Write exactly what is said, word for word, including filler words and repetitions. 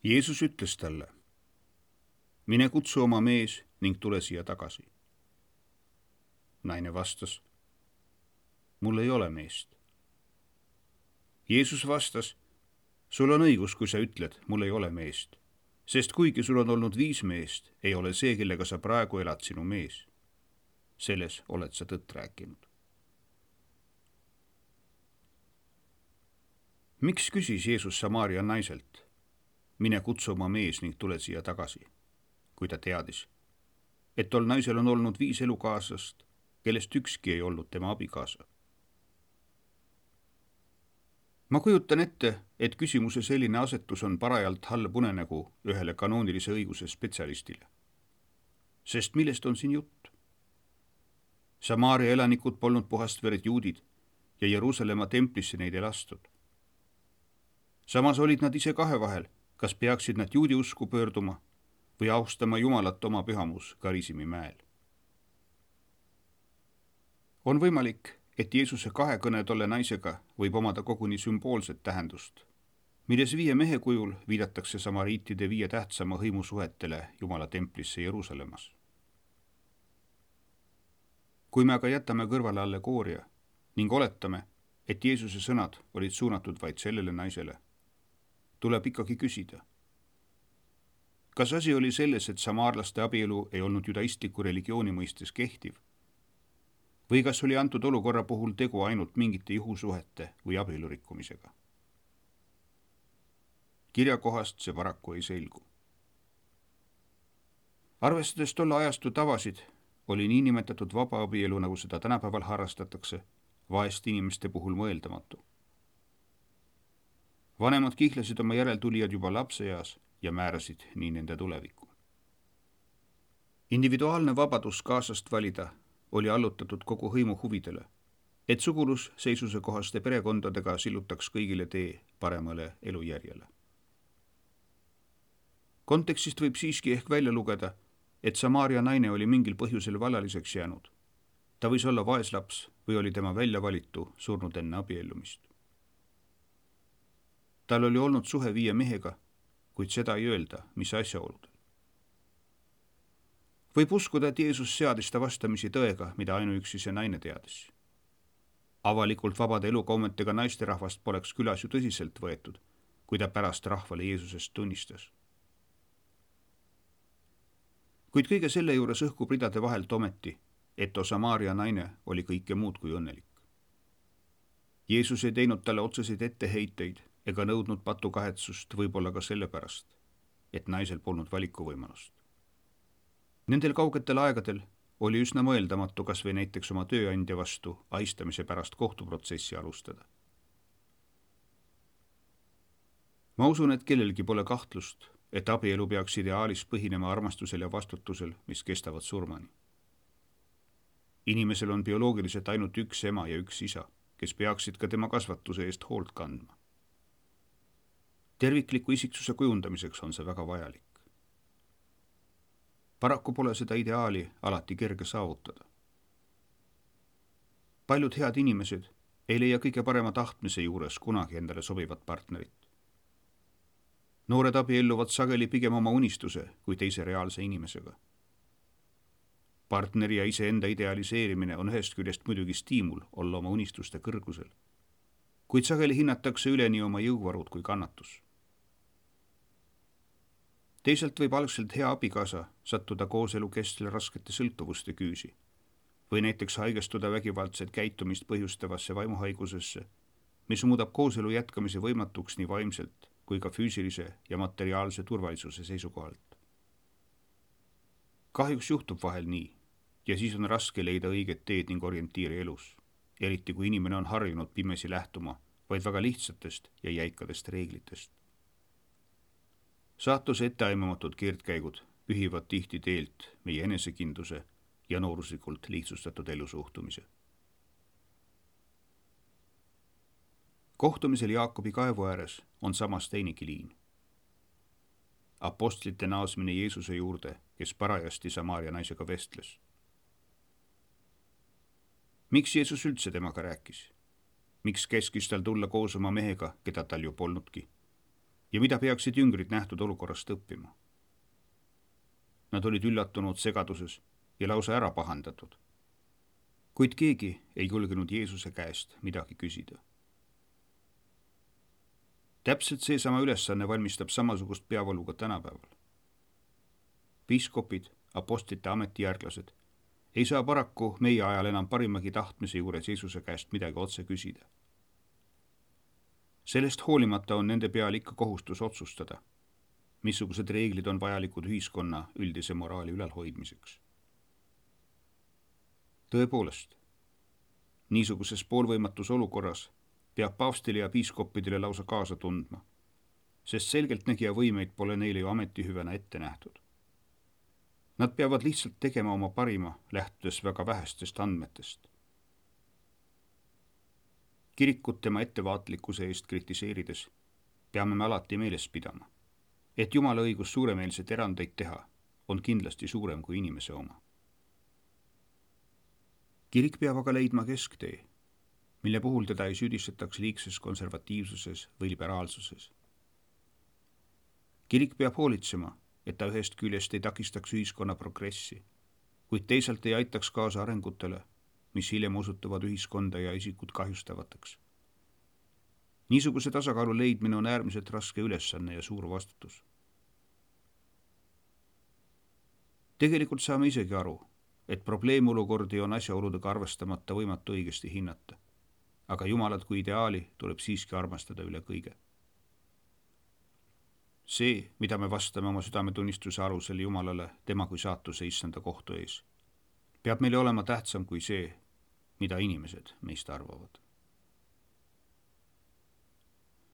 Jeesus ütles talle: mine kutsu oma mees ning tule siia tagasi. Naine vastas: mul ei ole meest. Jeesus vastas: sul on õigus, kui sa ütled, mul ei ole meest, sest kuigi sul on olnud viis meest, ei ole see, kellega sa praegu elad, sinu mees. Selles oled sa tõtt rääkinud. Miks küsis Jeesus Samaaria naiselt: mine kutsu oma mees ning tule siia tagasi, kui ta teadis, et tol naisel on olnud viis elukaaslast, kellest ükski ei olnud tema abikaasa? Ma kujutan ette, et küsimuse selline asetus on parajalt halb unenägu ühele kanoonilise õiguse spetsialistile. Sest millest on siin jutt? Samaaria elanikud polnud puhast verd juudid ja Jeruusalemma templisse neid ei lastud. Samas olid nad ise kahe vahel, kas peaksid nad juudi usku pöörduma või austama Jumalat oma pühamus Karisimi mäel. On võimalik, et Jeesuse kahekõne tolle naisega võib omada koguni sümboolset tähendust, milles viie mehe kujul viidatakse samariitide viie tähtsama hõimusuhetele Jumala templisse Jeruusalemmas. Kui me aga jätame kõrvale allegooria ning oletame, et Jeesuse sõnad olid suunatud vaid sellele naisele, tuleb ikkagi küsida, kas asi oli selles, et samaarlaste abielu ei olnud judaistliku religiooni mõistes kehtiv, või kas oli antud olukorra puhul tegu ainult mingite juhusuhete või abielurikkumisega? Kirjakohast see paraku ei selgu. Arvestades tolle ajastu tavasid, oli niinimetatud vaba abielu, nagu seda tänapäeval harrastatakse, vaeste inimeste puhul mõeldamatu. Vanemad kihlasid oma järeltulijad juba lapseeas ja määrasid nii nende tulevikku. Individuaalne vabadus kaasast valida oli allutatud kogu hõimu huvidele, et sugulus seisuse kohaste perekondadega sillutaks kõigile tee paremale elujärjele. Kontekstist võib siiski ehk välja lugeda, et Samaaria naine oli mingil põhjusel vallaliseks jäänud. Ta võis olla vaeslaps või oli tema välja valitu surnud enne abiellumist. Tal oli olnud suhe viie mehega, kuid seda ei öelda, mis asjaoludel. Võib uskuda, et Jeesus seadis ta vastamisi tõega, mida ainuüksi see naine teadis. Avalikult vabade elukaumetega naisterahvast poleks külas ju tõsiselt võetud, kui ta pärast rahvale Jeesusest tunnistas. Kuid kõige selle juures õhkub ridade vahelt ometi, et Samaaria naine oli kõike muud kui õnnelik. Jeesus ei teinud talle otseseid etteheiteid ega nõudnud patukahetsust võib-olla ka sellepärast, et naisel polnud valikuvõimalust. Nendel kaugetel aegadel oli üsna mõeldamatu kas või näiteks oma tööandja vastu aistamise pärast kohtuprotsessi alustada. Ma usun, et kellelgi pole kahtlust, et abielu peaks ideaalis põhinema armastusel ja vastutusel, mis kestavad surmani. Inimesel on bioloogiliselt ainult üks ema ja üks isa, kes peaksid ka tema kasvatuse eest hoolt kandma. Tervikliku isiksuse kujundamiseks on see väga vajalik. Paraku pole seda ideaali alati kerge saavutada. Paljud head inimesed ei leia kõige parema tahtmise juures kunagi endale sobivat partnerit. Noored abielluvad sageli pigem oma unistuse kui teise reaalse inimesega. Partneri ja iseenda idealiseerimine on ühest küljest muidugi stiimul olla oma unistuste kõrgusel, kuid sageli hinnatakse üle nii oma jõuvarud kui kannatus. Teisalt võib algselt hea abikaasa sattuda kooselu kestel raskete sõltuvuste küüsi või näiteks haigestuda vägivaldset käitumist põhjustavasse vaimuhaigusesse, mis muudab kooselu jätkamise võimatuks nii vaimselt kui ka füüsilise ja materiaalse turvalisuse seisukohalt. Kahjuks juhtub vahel nii ja siis on raske leida õiget teed ning orientiiri elus, eriti kui inimene on harjunud pimesi lähtuma vaid väga lihtsatest ja jäikadest reeglitest. Saatuse etteaimamatud keerdkäigud pühivad tihti teelt meie enesekindluse ja nooruslikult lihtsustatud elusuhtumise. Kohtumisel Jaakobi kaevu ääres on samas teinegi liin. Apostlite naasmine Jeesuse juurde, kes parajasti Samaaria naisega vestles. Miks Jeesus üldse temaga rääkis? Miks keskis tal tulla koos oma mehega, keda tal ju polnudki? ja mida peaksid jüngrid nähtud olukorrast õppima. Nad olid üllatunud segaduses ja lausa ära pahandatud. Kuid keegi ei julgenud Jeesuse käest midagi küsida. Täpselt seesama ülesanne valmistab samasugust peavalu ka tänapäeval. Piiskopid, apostlite ametijärglased ei saa paraku meie ajal enam parimagi tahtmise juures Jeesuse käest midagi otse küsida. Sellest hoolimata on nende peal ikka kohustus otsustada, missugused reeglid on vajalikud ühiskonna üldise moraali ülalhoidmiseks. Tõepoolest, niisuguses poolvõimatus olukorras peab paavstile ja piiskoppidele lausa kaasa tundma, sest selgeltnägija võimeid pole neile ju ametihüvena ette nähtud. Nad peavad lihtsalt tegema oma parima, lähtudes väga vähestest andmetest. Kirikut tema ettevaatlikkuse eest kritiseerides peame me alati meeles pidama, et Jumala õigus suuremeelseid erandeid teha on kindlasti suurem kui inimese oma. Kirik peab aga leidma kesktee, mille puhul teda ei süüdistataks liigses konservatiivsuses või liberaalsuses. Kirik peab hoolitsema, et ta ühest küljest ei takistaks ühiskonna progressi, kuid teisalt ei aitaks kaasa arengutele, mis hiljem osutuvad ühiskonda ja isikut kahjustavateks. Niisuguse tasakaalu leidmine on äärmiselt raske ülesanne ja suur vastutus. Tegelikult saame isegi aru, et probleemolukordi on asjaoludega arvestamata võimatu õigesti hinnata, aga Jumalat kui ideaali tuleb siiski armastada üle kõige. See, mida me vastame oma südametunnistuse alusel Jumalale tema kui saatuse issanda kohtu ees, peab meile olema tähtsam kui see, mida inimesed meist arvavad.